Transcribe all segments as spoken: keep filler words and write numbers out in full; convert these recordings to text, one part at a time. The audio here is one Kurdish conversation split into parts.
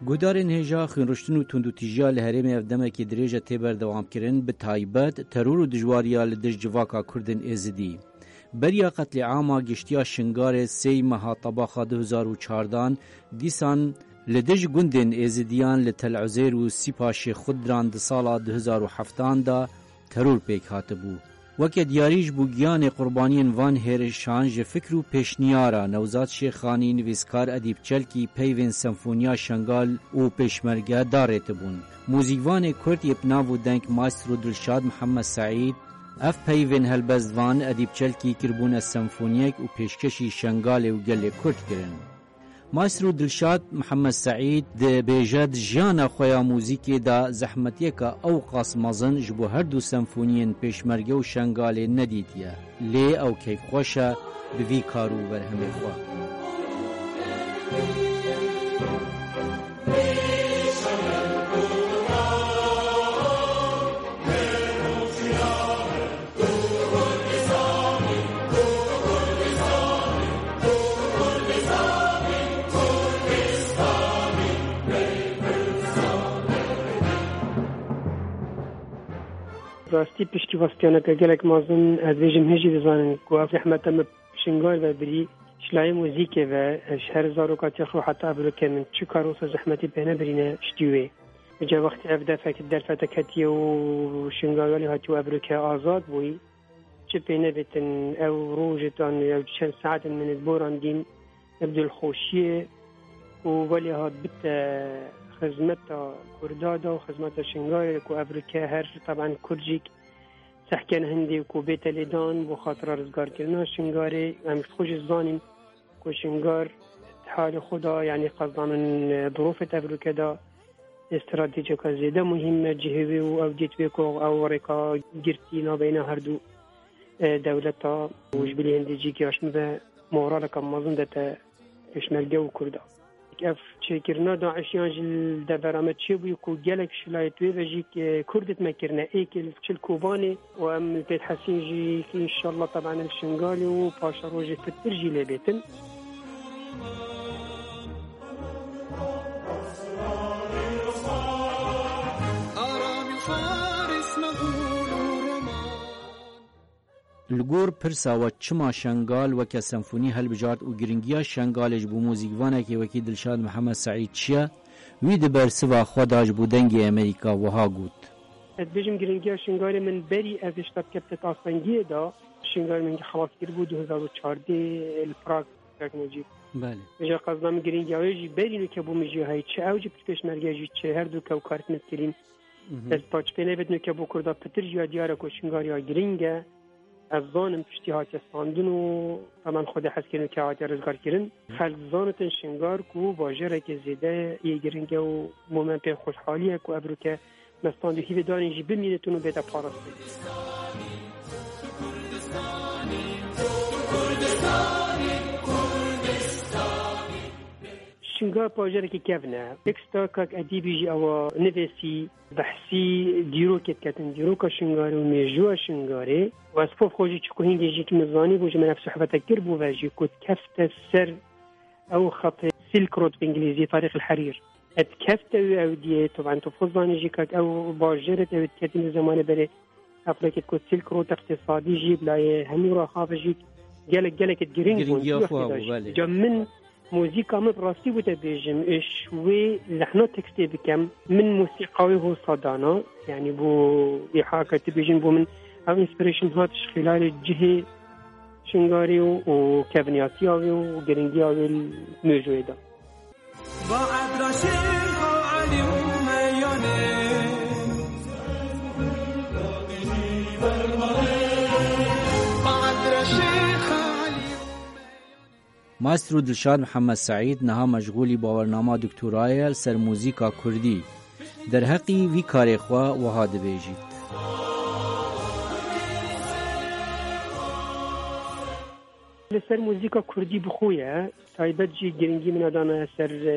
Guhdarên hêja xwînriştin û tundûtîjiya li herêmê ev demekê dirêj e tê berdewamkirin, bi taybet teror û dijwariya li dij civaka Kurdên Êzidî. Beriya qetlîama giştiya Şingalê sêy meha Tebaxa du hezar û çardan, dîsan li dij gundên Êzidiyan li Tel Uzeyr û Sîpa Şêxxudran di sala du hezar û heftan de teror pêk hatibû. Weke diyarî ji bo giyanê qurbaniyên van hêrişan ji fikr û pêşniyara Newzad Şêxanî, nivîskar Edîb Çelkî peyvên Senfoniya Şengal û Pêşmerge darêtibûn. Muzîkvanê Kurd yê bi nav û deng Maestro Dilşad Mihemed Seîd, ev peyvên helbestvan Edîb Çelkî kiribûne senfoniyek û pêşkeşî Şengalê û gelê Kurd kirin. Maestro Dilşad Mihemed Seîd dibêje, di jiyana xwe ya muzîkê de zehmetiyeke ewqas mezin ji bo her du senfoniyên Pêşmerge û Şengalê nedîtiye. Lê ew keyfxweş e bi vî kar û berhemê xwe. Rastî piştî westiyoneke gelek mezin, ez dibêjim hê jî dizanin ku ev zehmeta min Şingal ve birî, ji layê muzîkê ve, ji her zarokatiya xwe heta evroke min çi kar wisa zehmetî pê nebirîne ji dî wê. Îca wextê ev defek, derfete ketiye û Şingal welê hatiye û evroke azad bûyî, çi pê nebêtin ew rojê tan ew çend saetin min ê borandîn, ev dilxweşiyê û welê hat bite xizmeta Kurda da û xizmeta Şingalê ku evroke her teben Kurd jî sehken hindê ku bête lêdan bo xatira rizgarkirina Şingalê. Em ji xwe jî zanîn ku Şingal di halê xwe da, yanî qezanên dirofê di evroke da, stratejiyeke zêde muhîm e cihê wê û ew dît wê ku ew rêka girtî navbeyna her du, e, dewleta û ji bilî hindê jî gihaştine ve moraleke mezin dete pêşmerge û Kurda. Ev çêkirina DAIŞiyan ji li devera me çêbûye ku gelek şilayet wê ve jî, e, Kurd dît me kirine. Êkê li çil Kobanê û em li pêt hesîn jî înşallah teben li Şingalê û paşerojê pitir jî lê bêtin. Li gor pirsa we çima Şengal weke senfonî hilbijart û giringiya Şengalê ji bo muzîkvanekê wekî Dilşad Mihemed Seîd çi ye, wî di bersiva xwe de ji bo Dengê Amerîka wiha got. Ez dibêjim giringiya Şingalê min berî ez hişta bikevte astengiyê de, Şingalê min xelas kiribû du hezar û çardeh li Prag. Belê. Ji qezna min giringiya wê jî berî weke bû min jî heye çi ew jî pêşmerge jî çi her du kew karit min kirîn. Mhm. Dest paç pê nebêt nuke bo Kurda pitir jî ya diyar e ku Şingal ya giring e. Ez zanim piştî hatiye standin û heman Xwedê hez kirin ke hatiye rizgar kirin. Xelk zanitin Şingal ku bajareke zêde yê giring e û momentê xweşhalî ye ku evroke me stand û hîvê danîn jî bimînitin û bête parastin. Şingal bajarekî kevn e. Teksta kak Edîbî jî ewa nivêsî, behsî dîrokê diketin, dîroka Şingarê û mêjûya Şingarê. Û ez pov xwe jî çi ku hîngê jî ki min zanî bû, ji min ev sohbete kir bû ve jî ku dikefte ser ew xetê Silk Road bi îngilîzî, Tarîq el Herîr. Et kefte wî ew diyê, tu ben tu xwe zanî jî kak ew bajarê te wî diketin di zemanê berê Eflekê ku Silk Road iqtisadî jî, bilayê hemû raxave jî gelek, gelek giring bûn. Giringiya xwe bû, belê. Ca min muzîka min bi rastî bû te bêjim, ji wê lehna tekstê bikem, min muzîka wê hosa dana, yanî bû îha ke tu bêjin bû min ev inspiration hat ji xîlalê cihê Şingarê û, û kevniyatiya wê û giringiya wê li mêjoyê de. Maestro Dilşad Mihemed Seîd niha meşxûlî bawernama doktorayê ye li ser muzîka kurdî. Derheqî vî karê xwe wiha dibêjît. Li ser muzîka kurdî bi xwe ye, taybet jî giringî min dana ser, e,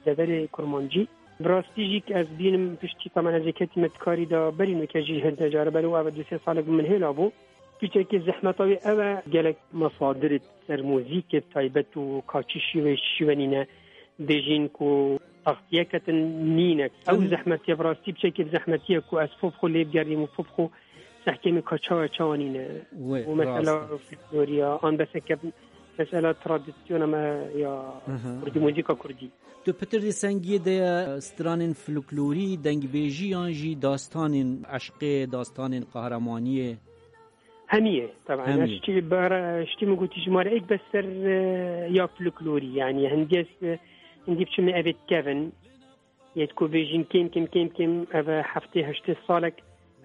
deverê kurmancî. Bi rastî jî ez bînim piştî, tamen ez ê ketîme di karî de, berî nuke jî hinde care ber û ev du sê salek bi min hêla bû. Piçekî zehmeta wê ew e, gelek mesadirê ser muzîkê taybet û ka çi şîwê şîwenîne, bêjîn ku taxtiyeke din nîne. Ew Em- zehmetiye, bi rastî piçekî bi zehmetiye ku ez fov xwe lê bigerîm û fov xwe sehkê min ka çawa çawa nîne. Wê, Bu mesela rast e. Folkloriya, an beseke mesela tradisyona me ya Aha. Kurdî, muzîka Kurdî. Tu pitir di sengiyê de ye, stranên folklorî, dengbêjî yan jî dastanên eşqê, dastanên qehremaniyê? Hemiyê, taban. Hemiyê. Ştî, bara, ştî min gotî ji mare êk bes ser, e, ya folklorî, yani hindiyes, e, hindi biçime evet kevin. Yet ku bêjin kêm, kêm, kêm, kêm, ev heftê heştê salek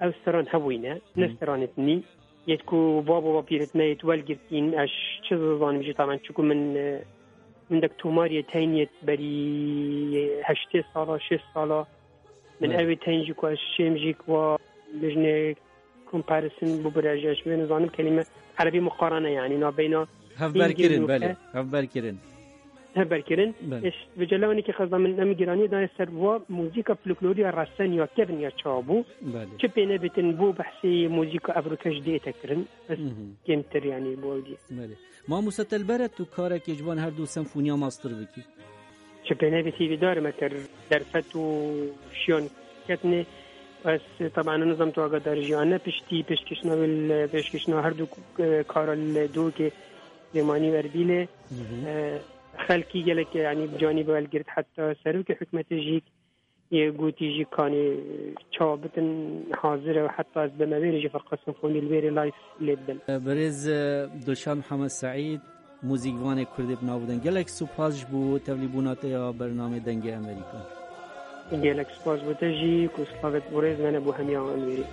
ev seran hebûyne, ne Hı. seranê dinî. Yet ku babo bapîret me yet welgirtîn, ez çi zanim jî taban, çiku min, e, min dek tomariyê teyniyet berî heştê sala, şêst sala. Min Evet. Ew ê teyn jî ku ez şêm jî ku wa bijne comparison bû bire ji, ez wê nizanim kelîme erebî muqarene, yani nabeyna Hevber kirin, belê. Hevber kirin. Hevber kirin. Belê. Eş, vêca lewanekî xezda min em giranî daye ser wa muzîka folklorî ya resen ya kevin ya çawa bû. Belê. Çi pê nebitin bû behsê muzîka evroke ji dê te kirin. Ez Hı hı. Kêmtir, yani, bo ew dî. Belê. Mamoste Telbere, tu karekê ji van her du senfoniya master bikî? Çi pê nebî hîvîdar me kir derfet û şiyan ketine. Ez, taban, nizam tu agadar jî an ne piştî pêşkişna wê li, pêşkişna her du, e, kara li dûkê Lêmanî û Erbîlê. Hı hı. E, xelkî gelek, yani, bi canî bi welgirt, heta serokê hikûmetê jî yê gotî jî kanê çawa bitin hazir e û heta ez bime wêrê jî ferqa senfonî li wêrê live lê bibin. Birêz, e, Dilşad Mihemed Seîd, muzîkvanê Kurdê bi nav û deng. Gelek spas ji bo tevlîbûna te ya bernamê Dengê Amerîka. Gelek spas bo te jî ku slavê te bo rêz me ne bo hemiya wan wêrê.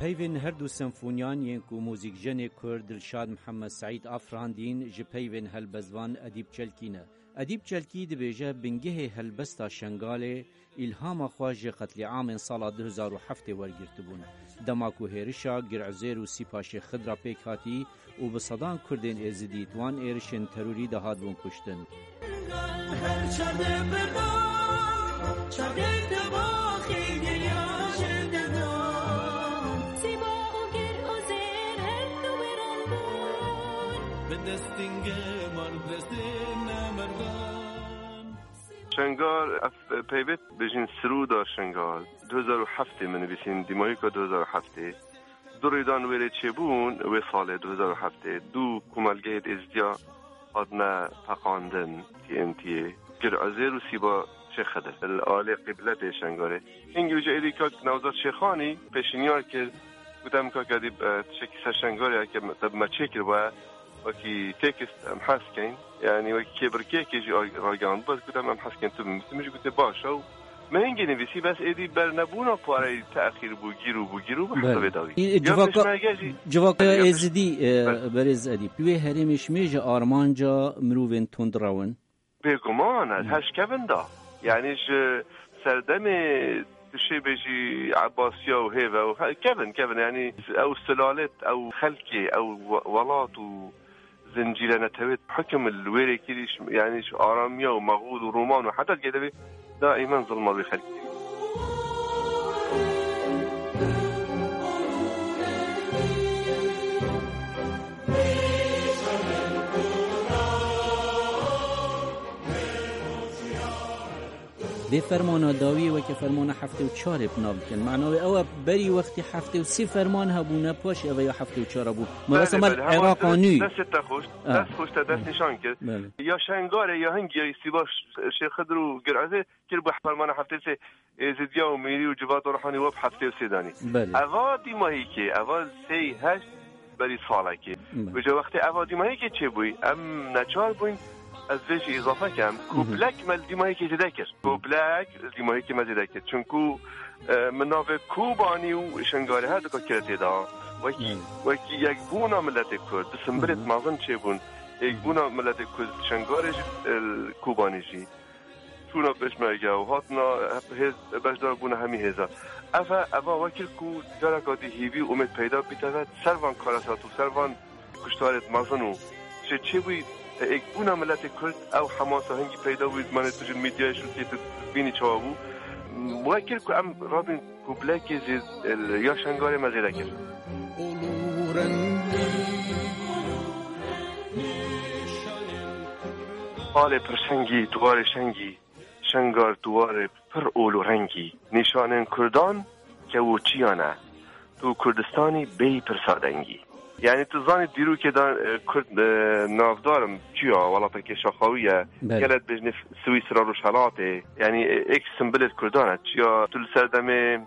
Peyvên her du senfoniyan yên ku muzîkjenê Kurd Dilşad Mihemed Seîd afirandîn, ji peyvên helbestvan Edîp Çelkî ne. Edîp Çelkî dibêje, bingehê helbesta Şengalê îlhama xwe ji qetlîamên sala du hezar û heftê wergirtibûn. Dema ku hêrişa Gir Uzêr û Sîpaşê Xidra pêk hatî û bi sedan Kurdên Êzidî di wan êrişên terorî de hatibûn kuştin. Her çar de birdan, çar de tebaxê geriya ji dildan. Sîba û Gir Uzêr her du wêran bûn. Bi destên geman, bi destên nemerdan. Şengar, ev peyvê bêjin Sirûda Şengar. Du hezar û heftê min nivîsîn, dîmahîka du hezar û heftê. Du rêdan wêrê çêbûn wê salê du hezar û heftê. Du komelgehê Êzidiya hatine teqandin, T N T'yê. Gir Uzêr û Sîba Şêx Xidir. Li alê qîbletê Şengarê. Hingî wêca êdî kak Newzat Şêxanî pêşinyar kir. Gotem, kak Edîb, e, tiştekî ser Şengarê heke me, te bi me çêkiribe, wekî tekst em hez keyn. Yani wekî kêbirkêkê jî a-, ragihandibû, ez gotem em hez keyn tu binivîsî. Min jî gotê baş e û me hingê nivîsî, bes êdî bernebûna pareyê texîr bû, gîr û bû, gîr û bû heta Belê. vê dawî. E, Ya civaka, pêşmerge jî civaka Belê, ya pêş- Êzidî, e, Belê. Berêz Edîb. Wê herêmê ji mêje armanca mirovên tund rewin. Bêguman, ez Hı. her ji kevin da. Yani ji serdemê tu şê bêjî Ebasiya û hêve û he-, kevin, kevin, yani ew silalet, ew xelkê, ew we-, welat û zincîre netewê hukim li wêrê kirî, yani ji aramiya û Mexûl û Roman û heta digê devê daîmen zilma wê xelkê. Vê fermana dawiyê weke fermana heftê û çarê bi nav dikin. Mena wê ew e, berî wextî heftê û sê ferman hebûne, paşê ev e ya heftê û çar bû. Me Belê, wesa me belê, heval Iraq a nû. Destê te xweş, Ha. dest xweş te dest Ha. nîşan kir. Belê. Ya Şengarê ya hingî ya Sîba Ş-, Şêx Xidir û Gir Uzêr kir bû fermana heftê sê. Êzidiya û Mîrî û Civata Ruhanî we bi heftê û sê danî. Belê. Eva dîmahîkê, eva sê heşt berî salekê. Belê. Vêca wextê eva dîmahîkê çêbûyî, em neçar bûyn, ez vê jî îzafe kem. Mhm. Kublek me li dîmahîkê zêde kir. Kublek li dîmahîkê me zêde kir. Çunku, e, min navê Kobanî û Şengarê her duka kire tê de. Wekî, Hmm. wekî yekbûna miletê Kurd, di simbilêt Hı hı. mezin çêbûn. Yekbûna miletê Kurd, Şengarê jî, e, Kobanê jî. Çûna pêşmerge û hatina hep hêz, beşdar bûna hemî hêza. Ev e, eva wekî ku careka dî hîvî û umêd peyda bîte ve, ser van karesat û ser van kuştarêt mezin û çê çêbûyî, e, êkbûna miletê Kurd, ew hemasa hingî peyda bûyî, zimanê tu ji medyayê şûtiyê tu bînî çawa bû. Wekî ku em rabîn Kublekê zêd, ya Şengarê me zêde kir. Alê pir şengî, diwarê şengî, Şengar diwarê pir ol û rengî. Nîşanên Kurdan kew û çiyan e. Tu Kurdistanî bêyî pirsa dengî. Yani tu zanî dîrokê de, e, Kurd, e, navdar in, çiya, welateke şaxawî ye. Belê. Gelek bêjinê Swîsra Rojhelatê. Yani, e, êk simbilê Kurdan e. Çiya tu li serdemê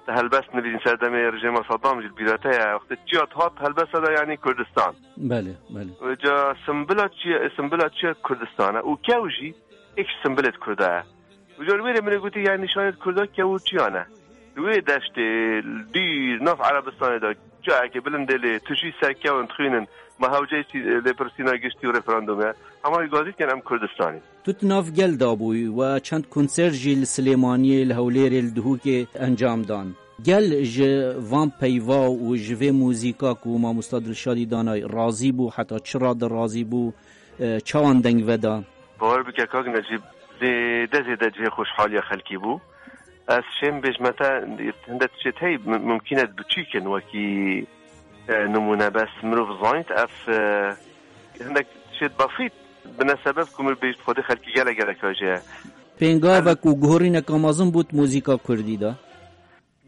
te helbest nivîsîn, serdemê rejîma Saddam jî li bîra te ye. Wextê çiya dihat helbesta de, yani Kurdistan. Belê, belê. Vêca simbila çiya, simbila çiya Kurdistan e. Û kew jî êk ji simbilê Kurda ye. Vêca li wê rê min ê gotî, yani nîşanê Kurda kew û çiyan e. Li wê deştê, dîr, nav Erebistanê de, cayekê bilind ê lê, tijî serkewin, dixwînin, ma hewceyî sî-, lêpirsîna giştî û referandum e. Hema wî gazî dikin em Kurdistanî. Tu di nav gel de bûyî we çend konser jî li Silêmaniyê, li Hewlêrê, li Duhokê encam dan. Gel ji van peyva û ji vê muzîka ku mamosta Dilşadî danay razî bû, heta çi rade razî bû, e, çawan deng veda? Bawer bike kak Necîb, zêde zêde cihê xweşhaliya xelkî bû. Ez şêm bêjme te, hindek tişt heye, mim-, mimkîn e biçûk in wekî, e, nimûne, bes mirov zanît ev, e, hindek tişt bafît bine sebeb ku mir bêjt Xwedê xelkî gelek gelek hejê ye. Pêngavek û guhorîneka mezin bû di muzîka kurdî de.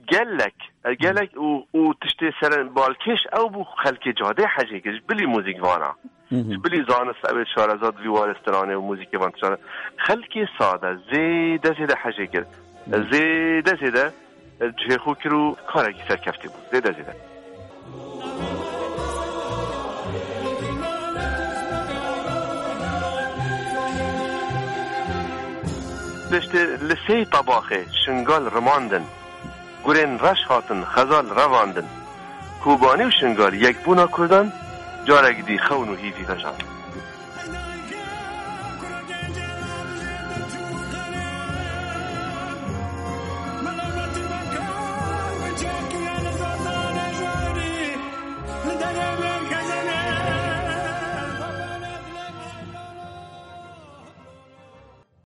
Gelek, e, gelek û, û tiştê seren balkêş ew bû, xelkê cadê hejê kir, ji bilî muzîk vana. Hı hı. Ji bilî zanist, ew ê şareza di vî warê stranê û muzîkê van tiştane. Xelkê sade zêde zêde hejê kir. Hı. Zêde zêde, e, cihê xwe kir û karekî serkeftî bû. Zêde zêde. Piştî li sê tabaxê Şingal rimandin. Gurên reş hatin xezal revandin. Kobanî û Şingal yekbûna Kurdan, carek dî xewn û hîvî vejandin.